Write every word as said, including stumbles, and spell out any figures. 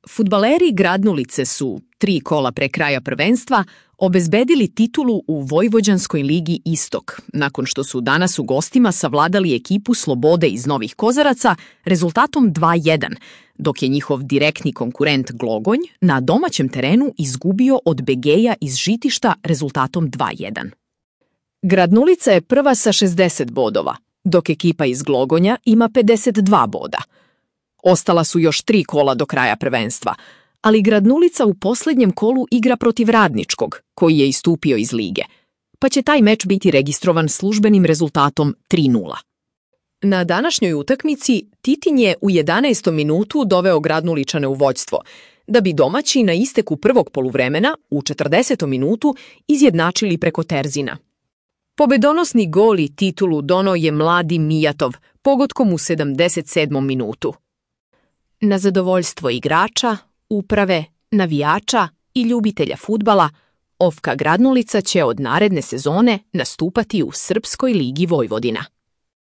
Fudbaleri Gradnulice su, tri kola pre kraja prvenstva, obezbedili titulu u Vojvođanskoj ligi Istok, nakon što su danas u gostima savladali ekipu Slobode iz Novih Kozaraca rezultatom dva jedan, dok je njihov direktni konkurent Glogonj na domaćem terenu izgubio od Begeja iz Žitišta rezultatom dva jedan. Gradnulica je prva sa šezdeset bodova, dok ekipa iz Glogonja ima pedeset dva boda. Ostala su još tri kola do kraja prvenstva, ali Gradnulica u posljednjem kolu igra protiv Radničkog, koji je istupio iz lige, pa će taj meč biti registrovan službenim rezultatom tri nula. Na današnjoj utakmici Titin je u jedanaestom minutu doveo Gradnuličane u vođstvo, da bi domaći na isteku prvog poluvremena u četrdesetom minutu izjednačili preko Terzina. Pobedonosni gol i titulu donao je mladi Mijatov pogodkom u sedamdeset sedmom minutu. Na zadovoljstvo igrača, uprave, navijača i ljubitelja fudbala, Ofka Gradnulica će od naredne sezone nastupati u Srpskoj ligi Vojvodina.